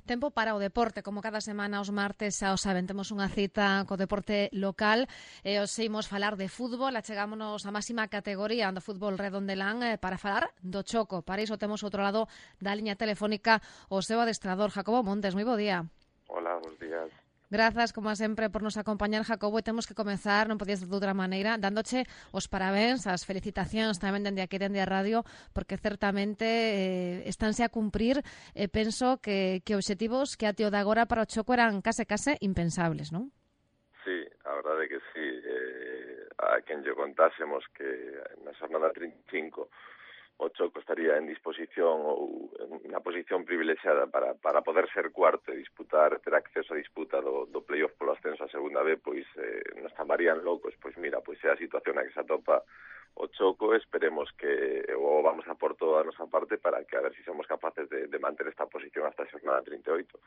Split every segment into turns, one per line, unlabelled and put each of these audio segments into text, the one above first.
Tempo para o deporte, como cada semana os martes xa o saben, temos unha cita co deporte local e os imos falar de fútbol, achegámonos a máxima categoría do fútbol redondelán para falar do choco. Para iso temos outro lado da liña telefónica o seu adestrador, Jacobo Montes. Moi bo día.
Hola, bons días.
Grazas, como sempre, por nos acompañar, Jacobo, e temos que comezar, non podías de outra maneira, dándoche os parabéns, as felicitacións tamén dende aquí, dende a radio, porque certamente estánse a cumprir, penso que obxectivos que até o de agora para o choco eran case impensables, non?
Sí, a verdade que sí. A quen lle contásemos que na xornada 35 o Choco estaría en disposición ou en unha posición privilexiada para poder ser cuarto e ter acceso a disputa do playoff polo ascenso a segunda B, pois nos chamarían locos. Pois mira, pois é a situación na que se atopa o Choco. Esperemos que vamos a por toda a nosa parte para que a ver se somos capaces de manter esta posición hasta a xornada 38.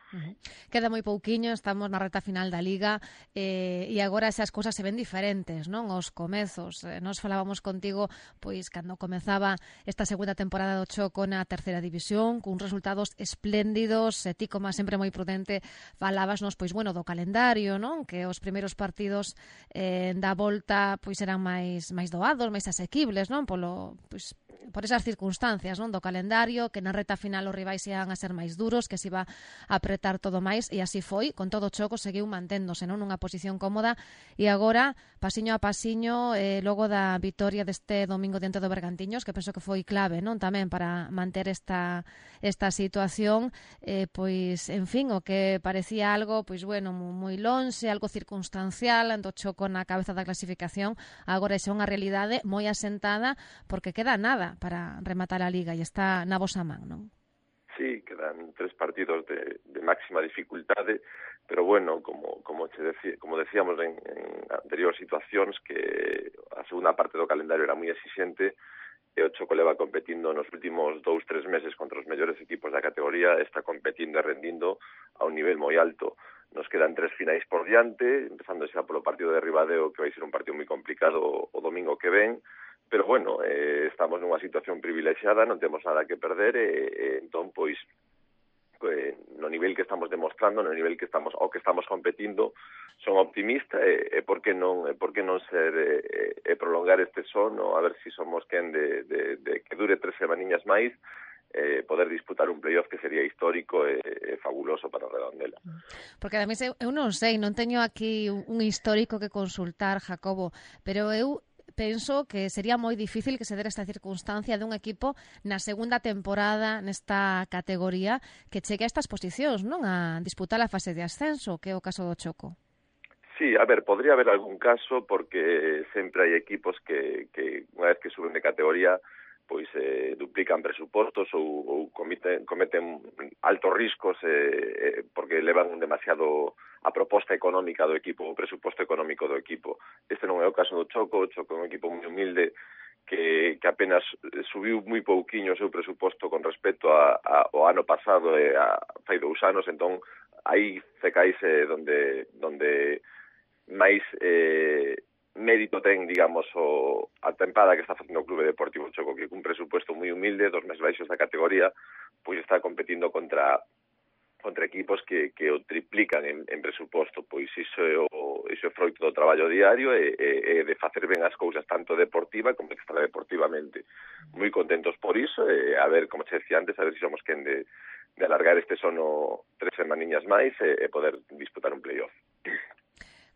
Queda moi pouquiño, estamos na reta final da Liga e agora esas cousas se ven diferentes, non? Os comezos. Nos falábamos contigo pois cando comezaba esta segunda temporada do Choco na terceira división, con resultados espléndidos, e ti, como sempre moi prudente, falábasnos pois bueno do calendario, non? Que os primeiros partidos da volta pois eran máis doados, máis asequibles, non? Por esas circunstancias, non? Do calendario, que na reta final os rivais iban a ser máis duros, que se iba a apretar todo máis, e así foi. Con todo o Choco seguiu manténdose, non? Nunha posición cómoda, e agora, pasiño a pasiño, logo da vitoria deste domingo diante do Bergantiños, que penso que foi clave, non? Tamén para manter esta situación, pois, en fin, o que parecía algo, pois, bueno, moi lonxe, algo circunstancial, do Choco na cabeza da clasificación, agora é unha realidade moi asentada, porque queda nada para rematar a Liga e está na vosa man, non?
Sí, quedan 3 partidos de máxima dificultade, pero bueno, como decíamos en anteriores situacións, que a segunda parte do calendario era moi exixente, e o Choco leva competindo nos últimos 2-3 meses contra os mellores equipos da categoría, está competindo e rendindo a un nivel moi alto. Nos quedan 3 finais por diante, empezando xa polo partido de Ribadeo, que vai ser un partido moi complicado o domingo que ven, pero bueno, estamos nunha situación privilexiada, non temos nada que perder, entón, pois, no nivel que estamos demostrando, no nivel que estamos competindo, son optimista, e por que non ser prolongar este sono, a ver se somos quen de que dure 3 semaniñas máis, poder disputar un playoff que sería histórico e fabuloso para Redondela.
Porque ademais eu non sei, non teño aquí un histórico que consultar, Jacobo, pero eu penso que sería moi difícil que se dera esta circunstancia dun equipo na segunda temporada nesta categoría que chegue a estas posicións, non? A disputar a fase de ascenso, que é o caso do Choco.
Sí, a ver, podría haber algún caso porque sempre hai equipos que unha vez que suben de categoría pois duplican presupostos ou cometen altos riscos porque levan demasiado a proposta económica do equipo, o presuposto económico do equipo. Este non é o caso do Choco. O Choco é un equipo moi humilde que apenas subiu moi pouquiño o seu presuposto con respecto ao ano pasado e fai 2 anos, entón aí cecaise donde máis mérito ten, digamos, a tempada que está facendo o Clube Deportivo Choco, que cun presupuesto moi humilde, dos máis baixos da categoría, pois está competindo contra equipos que o triplican en presuposto. Pois iso é froito do traballo diario e de facer ben as cousas tanto deportiva como extradeportivamente. Moi contentos por iso, e a ver, como se decía antes, a ver se somos quen de alargar este sono 3 semaniñas máis e poder disputar un playoff.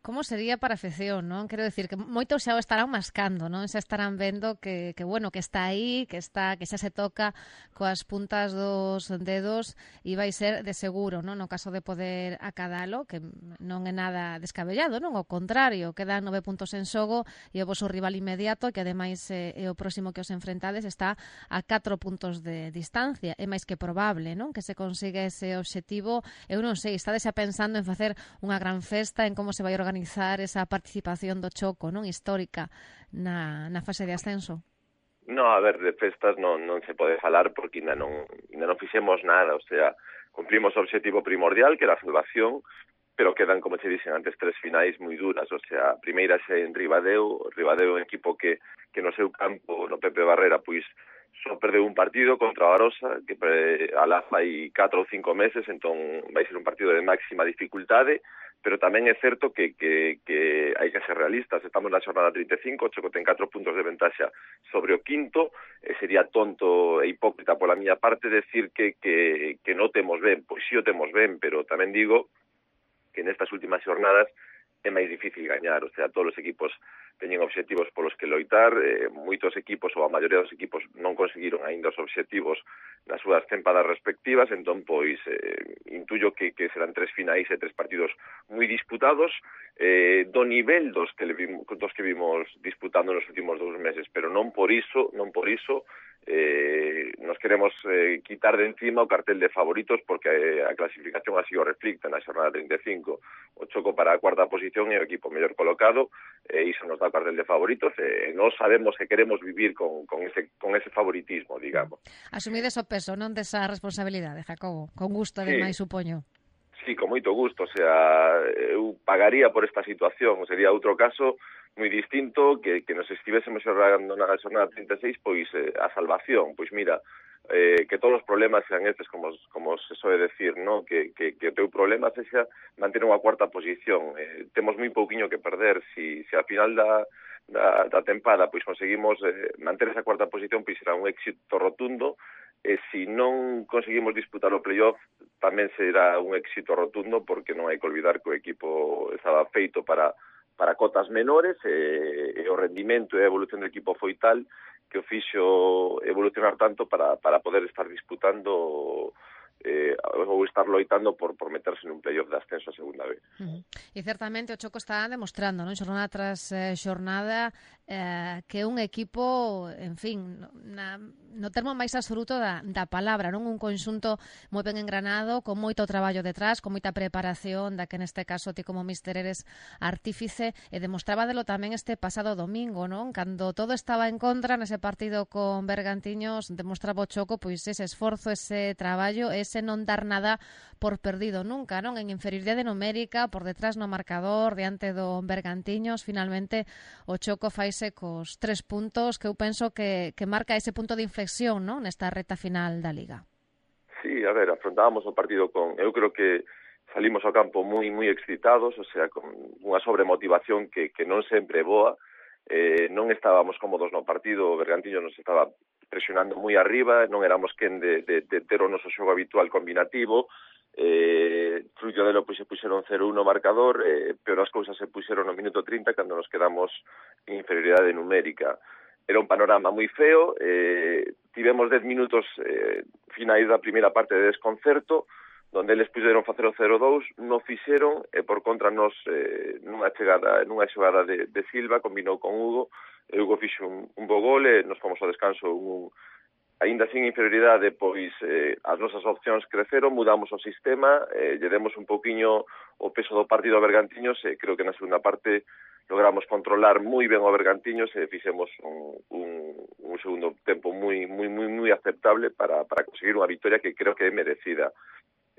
Como sería para a afección, non? Quero decir que moitos xa o estarán mascando, non? Xa estarán vendo que bueno, que está aí, que xa se toca coas puntas dos dedos e vai ser de seguro, non? No caso de poder acadalo, que non é nada descabellado, non? Ao contrario, quedan 9 puntos en xogo e o voso rival inmediato, que ademais é o próximo que os enfrentades, está a 4 puntos de distancia. É máis que probable, non? Que se consiga ese obxectivo. Eu non sei, estades xa pensando en facer unha gran festa, en como se vai organizar esa participación do Choco, non, histórica na fase de ascenso?
No, a ver, de festas non se pode falar porque ainda non fixemos nada, o sea, cumplimos o obxectivo primordial, que era a salvación, pero quedan, como che dixen antes, 3 finais moi duras, o sea, a primeira xe en Ribadeo é un equipo que no seu campo, no Pepe Barrera, pois só perdeu un partido contra o Arosa, que alá fai 4 ou 5 meses, entón vai ser un partido de máxima dificultade, pero tamén é certo que hai que ser realistas. Estamos na xornada 35, o Choco ten 4 puntos de ventaxa sobre o quinto, e sería tonto e hipócrita pola miña parte decir que non temos ben. Pois si o temos ben, pero tamén digo que nestas últimas xornadas é máis difícil gañar, o sea, todos os equipos teñen obxectivos polos que loitar, moitos equipos ou a maioría dos equipos non conseguiron aínda os obxectivos nas súas tempadas respectivas, entón, pois, intuyo que serán 3 finais e 3 partidos moi disputados, do nivel dos que vimos disputando nos últimos 2 meses, pero non por iso nos queremos quitar de encima o cartel de favoritos, porque a clasificación así o reflicta na xornada 35. O Choco para a cuarta posición é o equipo mellor colocado, e iso nos dá o cartel de favoritos, e nós sabemos que queremos vivir con ese favoritismo, digamos.
Asumides o peso, non, desa responsabilidade, Jacobo? Con gusto, ademais, supoño.
Sí, con moito gusto, o sea, eu pagaría por esta situación, sería outro caso moi distinto que nos estivésemos xogando na xornada 36, pois a salvación, pois mira, que todos os problemas sean estes, como se soe decir, ¿no? Que o teu problema sexa manter unha cuarta posición. Temos moi pouquiño que perder, si a final da tempada pois conseguimos manter esa cuarta posición, pois será un éxito rotundo, e se non conseguimos disputar o playoff tamén será un éxito rotundo, porque non hai que olvidar que o equipo estaba feito para cotas menores, e o rendimento e a evolución do equipo foi tal que o fixo evolucionar tanto para poder estar disputando ou estar loitando por meterse nun playoff de ascenso a segunda vez.
E certamente o Choco está demostrando, non, xornada tras xornada, que é un equipo, en fin, no termo máis absoluto da palabra, non, un conxunto moi ben engranado, con moito traballo detrás, con moita preparación, da que neste caso ti como míster eres artífice, e demostrábadelo tamén este pasado domingo, non, cando todo estaba en contra nese partido con Bergantiños, demostraba o Choco pois ese esforzo, ese traballo, ese non dar nada por perdido nunca, non, en inferioridade numérica, por detrás no marcador, diante do Bergantiños. Finalmente o Choco faise cos 3 puntos que eu penso que marca ese punto de inflexión, non, nesta reta final da Liga.
Sí, a ver, afrontábamos o partido eu creo que salimos ao campo moi excitados, o sea, con unha sobremotivación que non sempre é boa, non estábamos cómodos no partido, o Bergantiños nos estaba presionando moi arriba, non éramos quen de ter o noso xogo habitual combinativo, fruto delo pois se puxeron 0-1 o marcador, pero as cousas se puxeron no minuto 30 cando nos quedamos en inferioridade numérica. Era un panorama moi feo, tivemos 10 minutos finais da primeira parte de desconcerto, donde eles puderon facer o 0-2, non fixeron, e por contra nos nunha xogada de Silva, combinou con Hugo, e Hugo fixo un bo gol, e nos fomos ao descanso aínda sin inferioridade, pois as nosas opcións creceron, mudamos o sistema, lle demos un pouquiño o peso do partido a Bergantiños, e creo que na segunda parte logramos controlar moi ben o Bergantiños e fixemos un segundo tempo moi aceptable para conseguir unha victoria que creo que é merecida.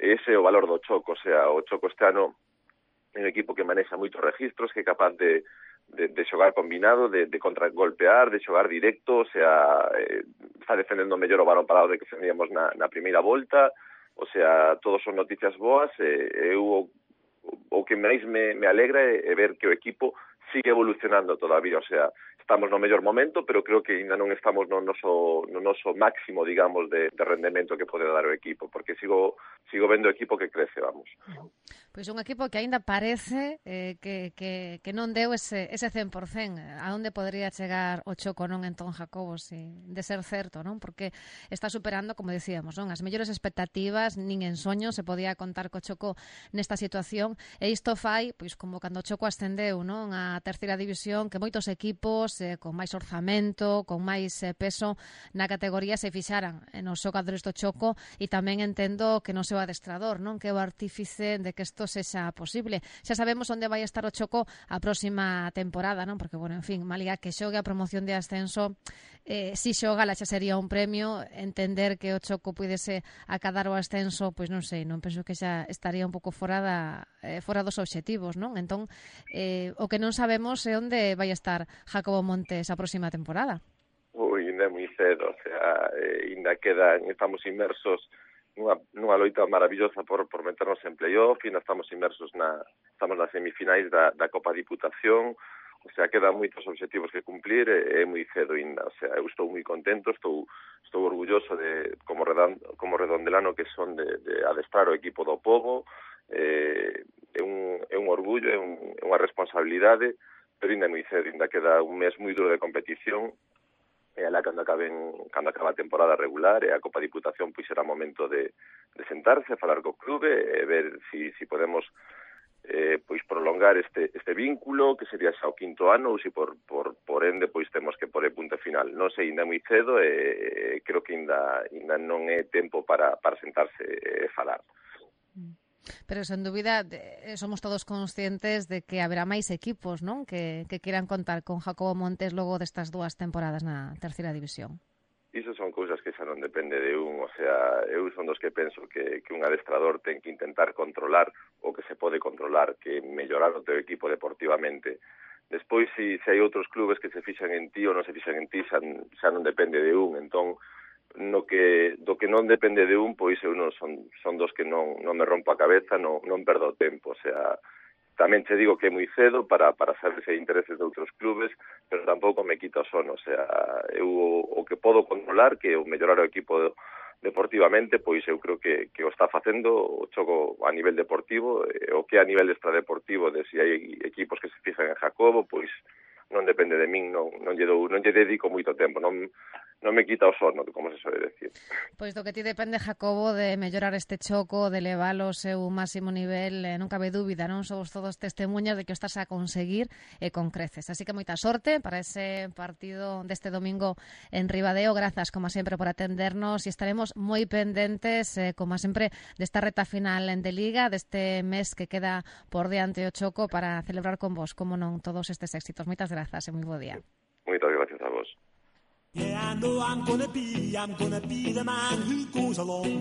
Ese é o valor do Choco, o sea, o Choco este ano é un equipo que manexa moitos registros, que é capaz de xogar combinado, de contragolpear, de xogar directo, o sea, está defendendo mellor o balón parado de que defendíamos na primeira volta, o sea, todos son noticias boas, e o que máis me alegra é ver que o equipo sigue evolucionando todavía, o sea, estamos no mellor momento, pero creo que ainda non estamos no noso máximo, digamos, de rendemento que pode dar o equipo, porque sigo vendo o equipo que crece, vamos.
Pois un equipo que aínda parece que non deu ese 100%. A onde podría chegar o Choco, non, entón, Jacobo, de ser certo, non? Porque está superando, como decíamos, non, as mellores expectativas, nin en soño se podía contar co Choco nesta situación, e isto fai, pois, como cando o Choco ascendeu, non, a terceira división, que moitos equipos con máis orzamento, con máis peso na categoría se fixaran nos xogadores do Choco, e tamén entendo que no seu adestrador, non, que é o artífice de que isto sexa posible. Xa sabemos onde vai estar o Choco a próxima temporada, non, porque, bueno, en fin, malía que xogue a promoción de ascenso, si xogala xa sería un premio. Entender que o Choco puidese acadar o ascenso, pois non sei, non penso que xa estaría un pouco fora dos obxectivos, non? Entón, o que non sabemos é onde vai estar Jacobo Montes a próxima temporada.
Ui, ainda é moi cedo, o sea, ainda estamos inmersos nunha loita maravillosa por meternos en playoff, ainda estamos inmersos estamos nas semifinais da Copa Diputación, o sea, quedan moitos obxectivos que cumplir, é moi cedo ainda, o sea, eu estou moi contento, estou orgulloso de como redondelano que son de adestrar o equipo do Pobo, é un orgullo, é unha responsabilidade, pero ainda é moi cedo, ainda queda un mes moi duro de competición, e alá cando acaba a temporada regular e a Copa Diputación pois será momento de sentarse, falar co clube e ver si podemos pois prolongar este vínculo, que sería xa o 5º ano, ou se por ende pois temos que pôr punto final. Non sei, ainda é moi cedo e creo que ainda non é tempo para sentarse e falar.
Pero, sen dúbida, somos todos conscientes de que haberá máis equipos, non? Que quieran contar con Jacobo Montes logo destas 2 temporadas na terceira división.
Iso son cousas que xa non depende de un, o sea, eu son dos que penso que un adestrador ten que intentar controlar o que se pode controlar, que mellorar o teu equipo deportivamente. Despois, se hai outros clubes que se fixan en ti ou non se fixan en ti, xa non depende de un, entón, do que non depende de un, pois eu non son dos que non me rompo a cabeza, non perdo o tempo, o sea, tamén te digo que é moi cedo para saber se hai intereses de outros clubes, pero tampouco me quita o sono, o sea, eu o que podo controlar, que é o mellorar o equipo deportivamente, pois eu creo que o está facendo o xogo a nivel deportivo, o que a nivel extradeportivo, de se hai equipos que se fixan en Jacobo, pois non depende de min, non lle dedico moito tempo, non me quita o sono, como se suele decir.
Pois do que ti depende, Jacobo, de mellorar este choco, de leválo ao seu máximo nivel, non cabe dúbida, non somos todos testemunhas de que o estás a conseguir con creces. Así que moita sorte para ese partido deste domingo en Ribadeo. Grazas, como sempre, por atendernos e estaremos moi pendentes, como sempre, desta reta final de Liga, deste mes que queda por diante o choco para celebrar con vos, como non, todos estes éxitos. Moitas grazas e moi bo día.
Moitas gracias a vos.
Yeah, I know I'm gonna be the man who goes along.